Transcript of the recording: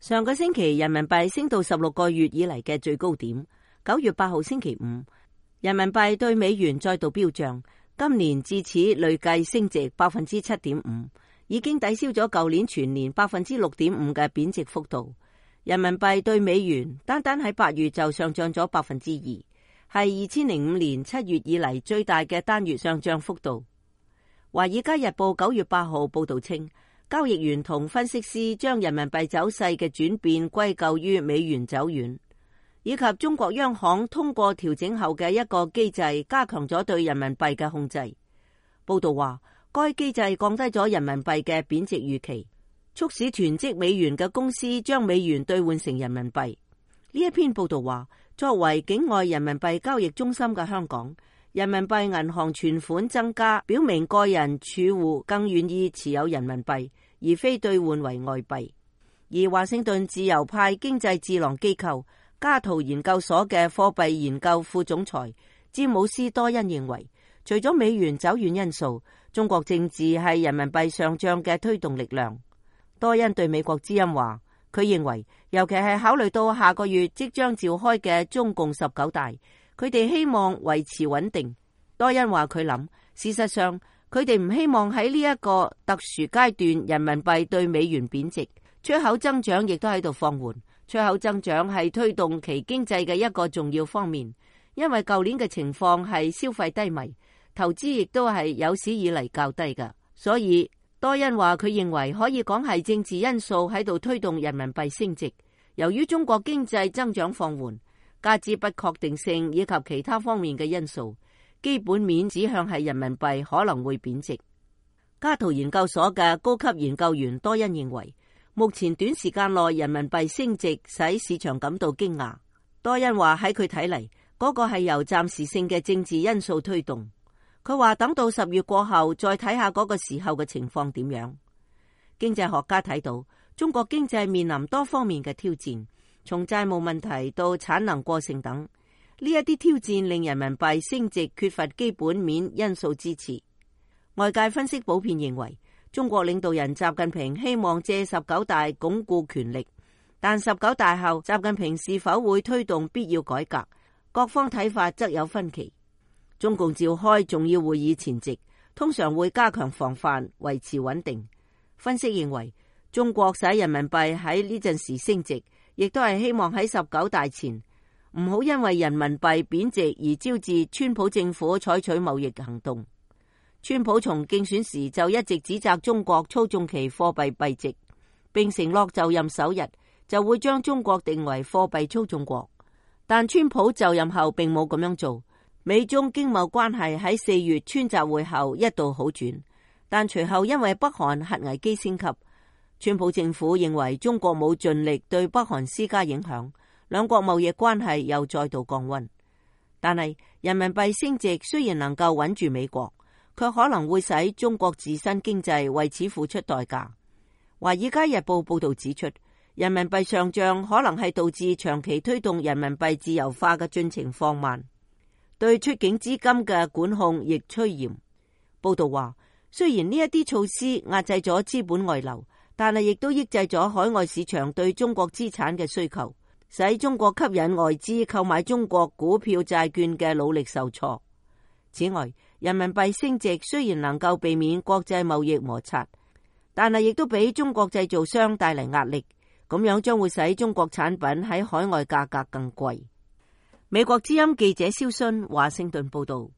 上個星期人民幣升到16個月以嚟嘅最高點。9月8號星期五，人民幣對美元再度飆漲，今年至此累計升值 7.5%， 已經抵消咗舊年全年 6.5% 嘅貶值幅度。人民幣對美元單單喺8月就上漲咗 2%， 係2005年7月以嚟最大嘅單月上漲幅度。華爾街日報9月8號報道稱，交易員同分析師將人民幣走勢嘅轉變歸咎於美元走軟，以及中國央行通過調整後嘅一個機制加強咗對人民幣嘅控制。報道話，該機制降低咗人民幣嘅貶值預期，促使囤積美元嘅公司將美元兌換成人民幣。呢一篇報道話，作為境外人民幣交易中心嘅香港，人民幣銀行存款增加，表明個人儲戶更願意持有人民幣，而非兌換為外幣。而華盛頓自由派經濟智囊機構加圖研究所嘅貨幣研究副總裁詹姆斯多恩認為，除咗美元走軟因素，中國政治係人民幣上漲嘅推動力量。多恩對美國之音話，佢認為尤其係考慮到下個月即將召開嘅中共19大，佢哋希望維持穩定。多恩話佢諗，事實上佢哋唔希望喺呢一個特殊階段人民幣對美元貶值，出口增長亦都喺度放緩。出口增長係推動其經濟嘅一個重要方面，因為舊年嘅情況係消費低迷，投資亦都係有史以嚟較低㗎。所以多恩話佢認為可以講係政治因素喺度推動人民幣升值。由於中國經濟增長放緩，加之不確定性以及其他方面嘅因素，基本面指向係人民幣可能會貶值。加圖研究所嘅高級研究員多恩認為，目前短時間內人民幣升值使市場感到驚訝。多恩話喺佢睇嚟，嗰個係由暫時性嘅政治因素推動。佢話等到10月過後再睇下嗰個時候嘅情況點樣。經濟學家睇到中國經濟面臨多方面嘅挑戰，從債務問題到產能過剩等，呢一啲挑戰令人民幣升值缺乏基本面因素支持。外界分析普遍認為，中國領導人習近平希望借19大鞏固權力，但19大後習近平是否會推動必要改革，各方睇法則有分歧。中共召開重要會議前夕，通常會加強防範，維持穩定。分析認為，中國使人民幣喺呢陣時升值，亦都係希望喺19大前唔好因為人民幣貶值而招致川普政府採取貿易行動。川普從競選時就一直指責中國操縱其貨幣幣值，並承諾就任首日就會將中國定為貨幣操縱國。但川普就任後並冇咁樣做。美中經貿關係喺4月川習會後一度好轉，但隨後因為北韓核危機升級，川普政府認為中國冇盡力對北韓施加影響，兩國貿易關係又再度降溫。但係人民幣升值雖然能夠穩住美國，卻可能會使中國自身經濟為此付出代價。華爾街日報報道指出，人民幣上漲可能係導致長期推動人民幣自由化嘅進程放慢，對出境資金嘅管控亦趨嚴。報道話，雖然呢一啲措施壓制咗資本外流，但係亦都抑制咗海外市場對中國資產嘅需求，使中國吸引外資購買中國股票債券嘅努力受挫。此外，人民幣升值雖然能夠避免國際貿易摩擦，但係亦都俾中國製造商帶嚟壓力，咁樣將會使中國產品喺海外價格更貴。美國之音記者蕭순華盛頓報道。